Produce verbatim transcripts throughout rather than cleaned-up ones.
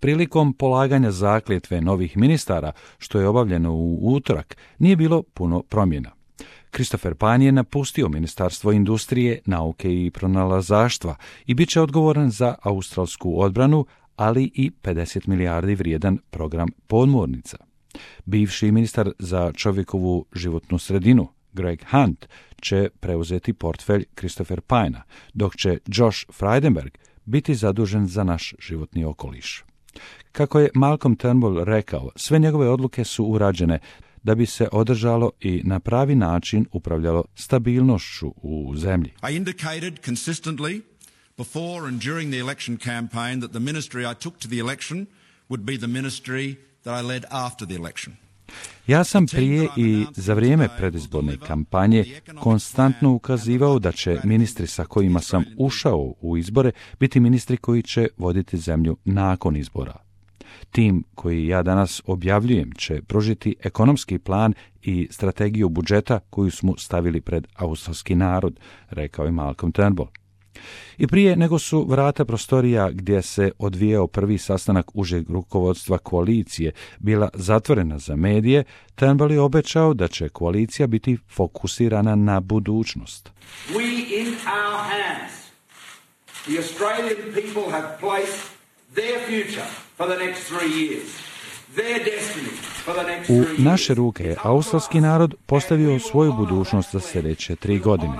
Prilikom polaganja zakletve novih ministara, što je obavljeno u utorak, nije bilo puno promjena. Christopher Pyne je napustio Ministarstvo industrije, nauke i pronalazaštva i bit će odgovoran za australsku odbranu, ali i pedeset milijardi vrijedan program podmornica. Bivši ministar za čovjekovu životnu sredinu, Greg Hunt, će preuzeti portfelj Christopher Pyna, dok će Josh Frydenberg biti zadužen za naš životni okoliš. Kako je Malcolm Turnbull rekao, sve njegove odluke su urađene da bi se održalo i na pravi način upravljalo stabilnošću u zemlji. I indicated consistently before and during the election campaign that the ministry I took to the election would be the ministry that I led after the election. Ja sam prije i za vrijeme predizborne kampanje konstantno ukazivao da će ministri sa kojima sam ušao u izbore biti ministri koji će voditi zemlju nakon izbora. Tim koji ja danas objavljujem će pružiti ekonomski plan i strategiju budžeta koju smo stavili pred australski narod, rekao je Malcolm Turnbull. I prije nego su vrata prostorija gdje se odvijao prvi sastanak užeg rukovodstva koalicije bila zatvorena za medije, Turnbull je obećao da će koalicija biti fokusirana na budućnost. We in our hands, the Australian people have placed their future for the next three years. Their destiny for the next three years. U naše ruke je australski narod postavio svoju budućnost za sljedeće tri godine.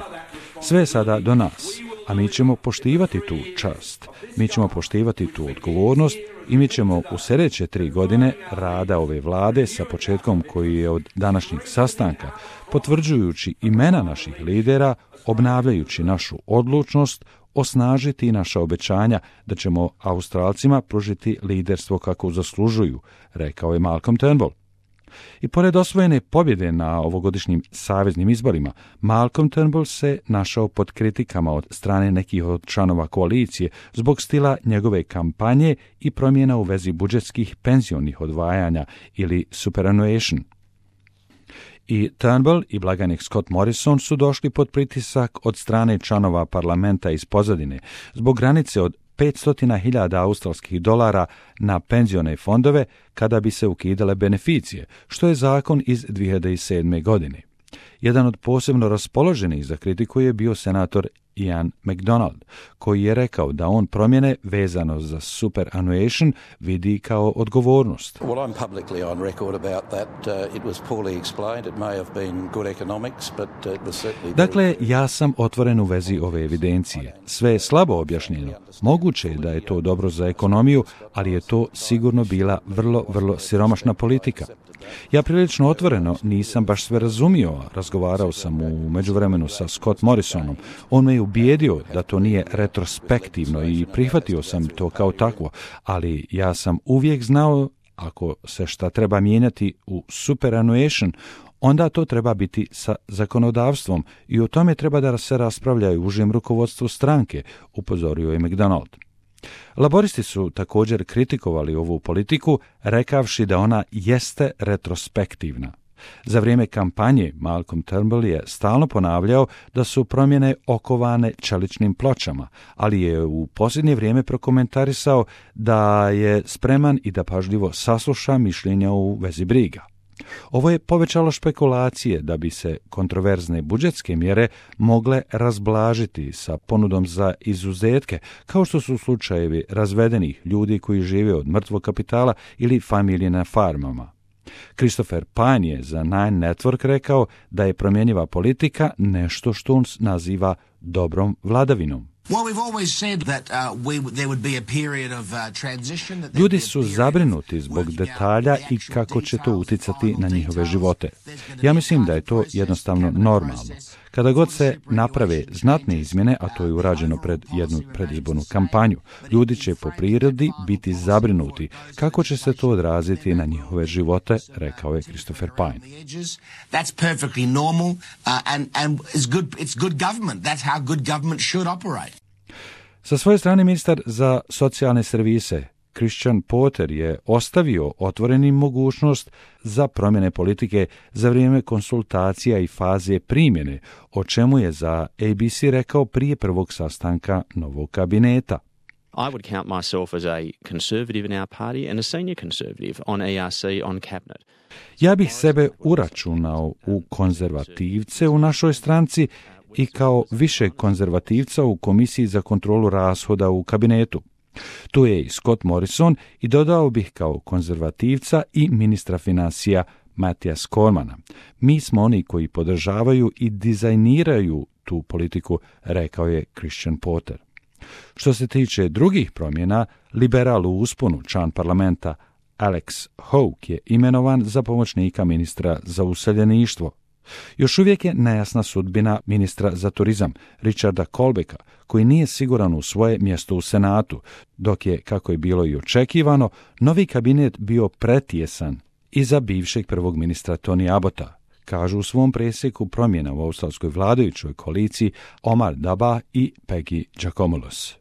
Sve je sada do nas, a mi ćemo poštivati tu čast, mi ćemo poštivati tu odgovornost i mi ćemo u sljedeće tri godine rada ove vlade sa početkom koji je od današnjeg sastanka, potvrđujući imena naših lidera, obnavljajući našu odlučnost, osnažiti naša obećanja da ćemo Australcima pružiti liderstvo kako zaslužuju, rekao je Malcolm Turnbull. I pored osvojene pobjede na ovogodišnjim saveznim izborima, Malcolm Turnbull se našao pod kritikama od strane nekih od članova koalicije zbog stila njegove kampanje i promjena u vezi budžetskih penzionih odvajanja ili superannuation. I Turnbull i blagajnik Scott Morrison su došli pod pritisak od strane članova parlamenta iz pozadine zbog granice od petsto hiljada australskih dolara na penzione fondove kada bi se ukidale beneficije, što je zakon iz dvije hiljade sedme. godine. Jedan od posebno raspoloženih za kritiku je bio senator Ian MacDonald, koji je rekao da on promjene vezano za superannuation vidi kao odgovornost. Well, I'm publicly on record about that. Uh, it was poorly explained. It may have been good economics, but uh, it was certainly... Dakle, ja sam otvoren u vezi ove evidencije. Sve je slabo objašnjeno. Moguće je da je to dobro za ekonomiju, ali je to sigurno bila vrlo, vrlo siromašna politika. Ja prilično otvoreno nisam baš sve razumio, razgovarao sam u međuvremenu sa Scott Morrisonom. On me je ubijedio da to nije retrospektivno i prihvatio sam to kao takvo, ali ja sam uvijek znao ako se šta treba mijenjati u superannuation, onda to treba biti sa zakonodavstvom i o tome treba da se raspravljaju u užem rukovodstvu stranke, upozorio je MacDonald. Laboristi su također kritikovali ovu politiku, rekavši da ona jeste retrospektivna. Za vrijeme kampanje Malcolm Turnbull je stalno ponavljao da su promjene okovane čeličnim pločama, ali je u posljednje vrijeme prokomentarisao da je spreman i da pažljivo sasluša mišljenja u vezi briga. Ovo je povećalo špekulacije da bi se kontroverzne budžetske mjere mogle razblažiti sa ponudom za izuzetke, kao što su slučajevi razvedenih ljudi koji žive od mrtvog kapitala ili familije na farmama. Christopher Pyne je za Nine Network rekao da je promjenjiva politika nešto što on naziva dobrom vladavinom. Ljudi su zabrinuti zbog detalja i kako će to utjecati na njihove živote. Ja mislim da je to jednostavno normalno. Kada god se naprave znatne izmjene, a to je urađeno pred jednu predizbornu kampanju, ljudi će po prirodi biti zabrinuti kako će se to odraziti na njihove živote, rekao je Christopher Pyne. That's perfectly normal uh, and and it's good it's good government. That's how good government should operate. Sa svoje strane ministar za socijalne servise Christian Porter je ostavio otvorenim mogućnost za promjene politike za vrijeme konsultacija i faze primjene, o čemu je za A B C rekao prije prvog sastanka novog kabineta. I would count myself as a conservative in our party and a senior conservative on E R C, on cabinet. Ja bih sebe uračunao u konzervativce u našoj stranci i kao više konzervativca u Komisiji za kontrolu rashoda u kabinetu. Tu je i Scott Morrison i dodao bih kao konzervativca i ministra financija Matija Cormana. Mi smo oni koji podržavaju i dizajniraju tu politiku, rekao je Christian Porter. Što se tiče drugih promjena, liberal u usponu, član parlamenta Alex Hawke je imenovan za pomoćnika ministra za useljeništvo. Još uvijek je nejasna sudbina ministra za turizam, Richarda Colbecka, koji nije siguran u svoje mjesto u Senatu, dok je, kako je bilo i očekivano, novi kabinet bio pretjesan i za bivšeg prvog ministra Tony Abbotta, kažu u svom presjeku promjena u australskoj vladajućoj koaliciji Omar Daba i Peggy Giacomolos.